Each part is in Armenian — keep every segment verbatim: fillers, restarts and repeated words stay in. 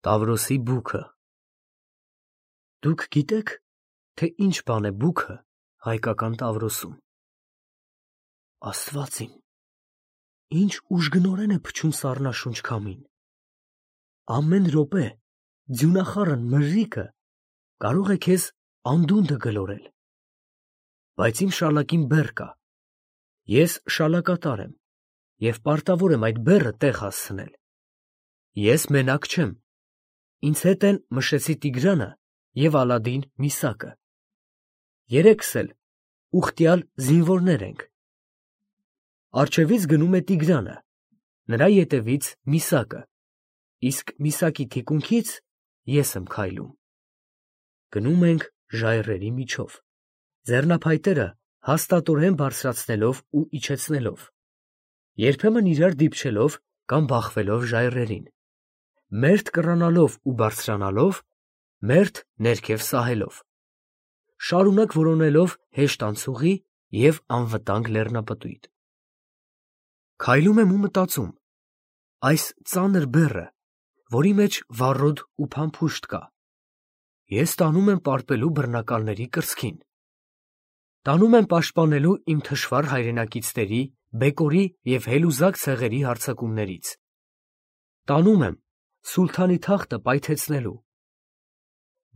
Տավրոսի բուքը։ Դուք գիտեք, թե ինչ բան է բուքը հայկական Տավրոսում։ Աստված իմ, ինչ ուժգնորեն է փչում սառնաշունչ քամին։ Ամեն րոպե ձյունախառն մրրիկը կարող է քեզ անդունդը գլորել։ Բայց իմ շալակին բեռ կա։ Ես շալակատար եմ և պարտավոր եմ այդ բեռը տեղ հասցնել։ Ես մենակ չեմ։ Ինձ հետ են Մշեցի Տիգրանը և Ալադին Միսակը։ Երեքս էլ ուխտյալ զինվորներ ենք։ Առջևից գնում է Տիգրանը, նրա ետևից Միսակը, իսկ Միսակի թիկունքից ես եմ քայլում։ Գնում ենք ժայռերի միջով, ձեռնափայտերը հաստատորեն բարձրացնելով ու իջեցնելով, երբեմն իրար դիպչելով կամ բախվելով ժայռերին, մերթ կռանալով ու բարձրանալով, մերթ ներքև սահելով, շարունակ որոնելով հեշտ անցուղի և անվտանգ լեռնապտույտ։ Քայլում եմ ու մտածում. այս ծանր բեռը, որի մեջ վառոդ ու փամփուշտ կա, ես տանում եմ պարպելու բռնակալների կրծքին, տանում եմ պաշտպանելու իմ թշվառ հայրենակիցների, բեկորի և հելուզակ ցեղերի հարձակումներից, տանում եմ սուլթանի թախտը պայթեցնելու։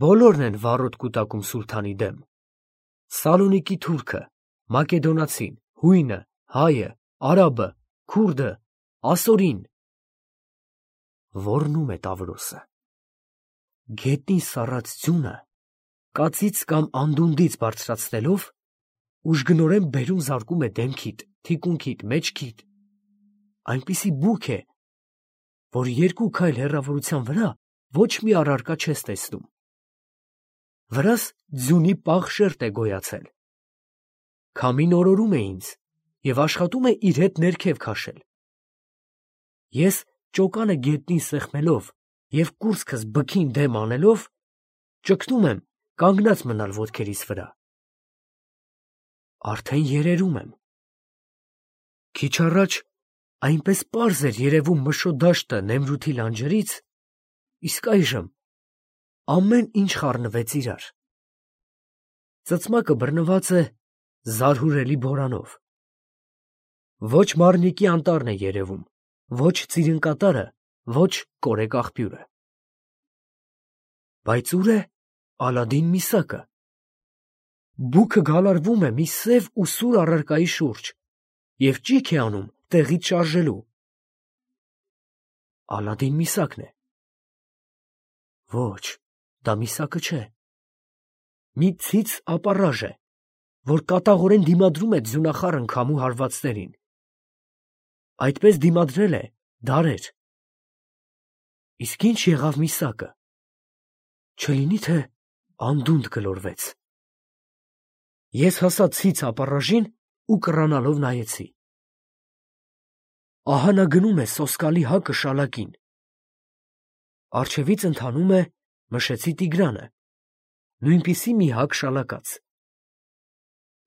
Բոլորն են վառոդ կուտակում սուլթանի դեմ. Սալոնիկի թուրքը, մակեդոնացին, հույնը, հայը, արաբը, քուրդը, ասորին։ Ոռնում է Տավրոսը։ Գետնին սառած ձյունը կածից կամ անդունդից բարձրացնելով ուժգնորեն բերում զարկում է դեմքիդ, թիկունքիդ, մեջքիդ, այնպիսի բուք է, որ երկու քայլ հեռավորության վրա ոչ մի առարկա չես տեսնում։ Վրաս ձյունի պաղ շերտ է գոյացել։ Քամին օրորում է ինձ և աշխատում է իր հետ ներքև քաշել։ Ես ճոկանը գետնին սեղմելով և կուրծքս բքին դեմ անելով, ճգնում եմ կանգնած մնալ ոտքերիս վրա։ Արդեն երերում եմ։ Քիչ առաջ այնպես պարզ էր երևում Մշո դաշտը Նեմրութի լանջերից, իսկ այժմ ամեն ինչ խառնվեց իրար։ Ծծմակը բռնված է զարհուրելի բորանով։ Ոչ Մարնիկի անտառն է երևում, ոչ Ծիրնկատարը, ոչ Կորեկ աղբյուրը։ Բայց ո՞ւր է Ալադին Միսակը։ Բուքը գալարվում է մի սև ու սուր առարկայի շուրջ և ճիգ է անում տեղից շարժելու։ Ալադին Միսակն է։ Ոչ, դա Միսակը չէ։ Մի ցից ապառաժ է, որ կատաղորեն դիմադրում է ձյունախառն քամու հարվածներին։ Այդպես դիմադրել է դարեր։ Իսկ ի՞նչ եղավ Միսակը։ Չլինի՞ թե անդունդ գլորվեց։ Ես հասա ցից ապառաժին ու կռանալով նայեցի։ Ահա նա գնում է սոսկալի հակը շալակին։ Առջևից ընթանում է Մշեցի Տիգրանը, նույնպիսի մի հակ շալակած։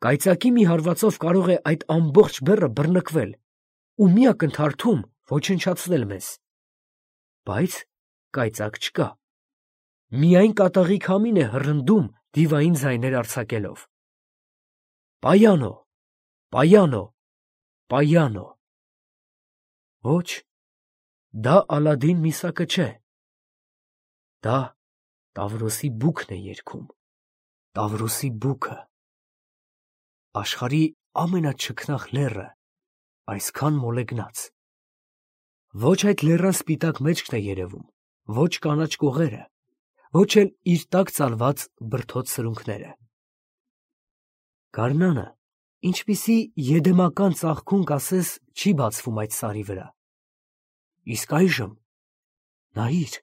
Կայծակի մի հարվածով կարող է այդ ամբողջ բեռը բռնկվել ու մի ակնթարթում ոչնչացնել մեզ։ Բայց կայծակ չկա։ Միայն կատաղի քամին է հռնդում դիվային ձայներ արձակելով. «Պայանո, պայանո, պայանո»։ Ոչ, դա Ալադին Միսակը չէ։ Դա Տավրոսի բուքն է երգում, Տավրոսի բուքը։ Աշխարհի ամենաչքնաղ լեռը այսքան մոլեգնած։ Ոչ այդ լեռան սպիտակ մեջքն է երևում, ոչ կանաչ կողերը, ոչ էլ իր տակ ծալված բրդոտ սրունքները։ Գարնանը, ինչպիսի եդեմական ծաղկուն կասես, չի բացվում այդ սարի վրա։ Իսկ այժմ նայիր,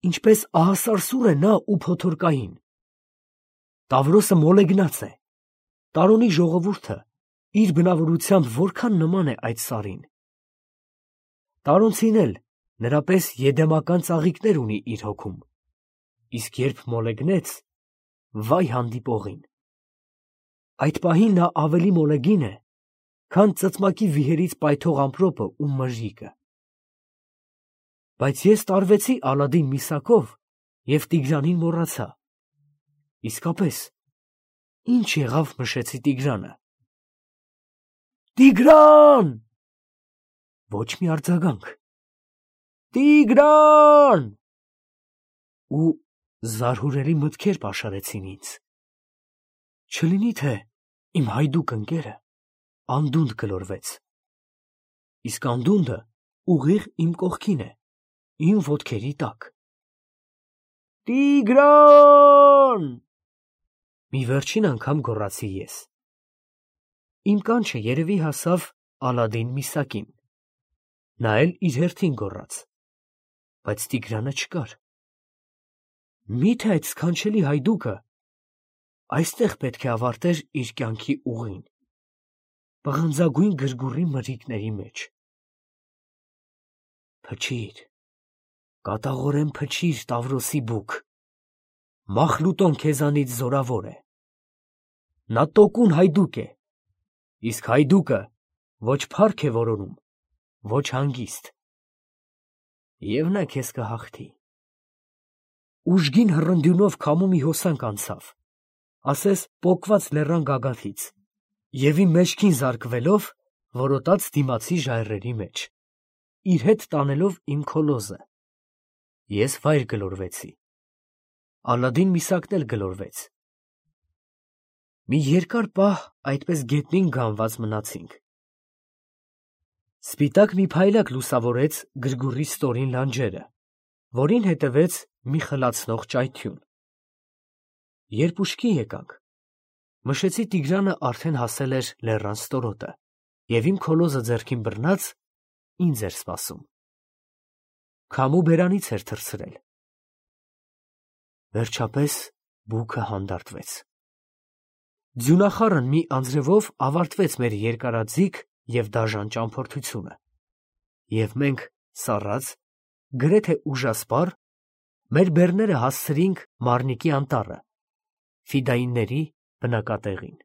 ինչպես ահասարսուռ է նա ու փոթորկային։ Տավրոսը մոլեգնած է։ Տարոնի ժողովուրդը իր բնավորությամբ որքան նման է այդ սարին։ Տարոնցին էլ նրա պես եդեմական ծաղիկներ ունի իր հոգում, իսկ երբ մոլեգնեց, վայ հանդիպողին։ Այդ պահին նա ավելի մոլեգին է, քան ծծմակի վիհերից պայթող ամպրոպը ու մրրիկը։ Բայց ես տարվեցի Ալադին Միսակով և Տիգրանին մոռացա։ Իսկապես, ինչ եղավ մշեցի Տիգրանը։ Տիգրան! Ոչ մի արձագանք։ Տիգրան! Ու զարհուրելի մտքեր պաշարեցին ինձ։ Չլինի թե իմ հայդուկ ընկերը անդունդ գլորվեց։ Իսկ անդունդը ուղիղ իմ կողքին է, իմ ոտքերի տակ։ Տիգրան! Մի վերջին անգամ գոռացի ես։ Իմ կանչը երևի հասավ Ալադին Միսակին։ Նա էլ իր հերթին գոռաց, բայց Տիգրանը չկար։ Մի՞թե այդ սքանչելի հայդուկը այստեղ պետք է ավարտեր իր կյանքի ուղին, պղնձագույն գրգուռի մրրիկների մեջ։ Փչիր, կատաղորեն փչիր, Տավրոսի բուք, Մախլուտոն քեզանից զորավոր է։ Նա տոկուն հայդուկ է, իսկ հայդուկը ոչ փառք է որոնում, ոչ հանգիստ։ Եվ նա քեզ կհաղթի։ Ուժգին հռնդյունով քամու մի հոսանք անցավ, ասես պոկված լեռան գագաթից, և իմ մեջքին զարկվելով որոտաց դիմացի ժայռերի մեջ, իր հետ տանելով իմ քոլոզը։ Ես վայր գլորվեցի։ Ալադին Միսակն էլ գլորվեց։ Մի երկար պահ այդպես գետնին գանված մնացինք։ Սպիտակ մի փայլակ լուսավորեց գրգուռի ստորին լանջերը, որին հետևեց մի խլացնող ճայթյուն։ Երբ ուշքի եկանք, մշեցի Տիգրանը արդեն հասել էր լեռան ստորոտը, և իմ քոլոզը ձեռքին բռնած ինձ էր սպասում։ Քամու բերանից էր թռցրել։ Վերջապես բուքը հանդարտվեց։ Ձյունախառն մի անձրևով ավարտվեց մեր երկարաձիգ և դաժան ճամփորդությունը, և մենք սառած, գրեթե ուժասպառ, մեր բեռները հասցրինք Մարնիկի անտառը, ֆիդայինների բնակատեղին։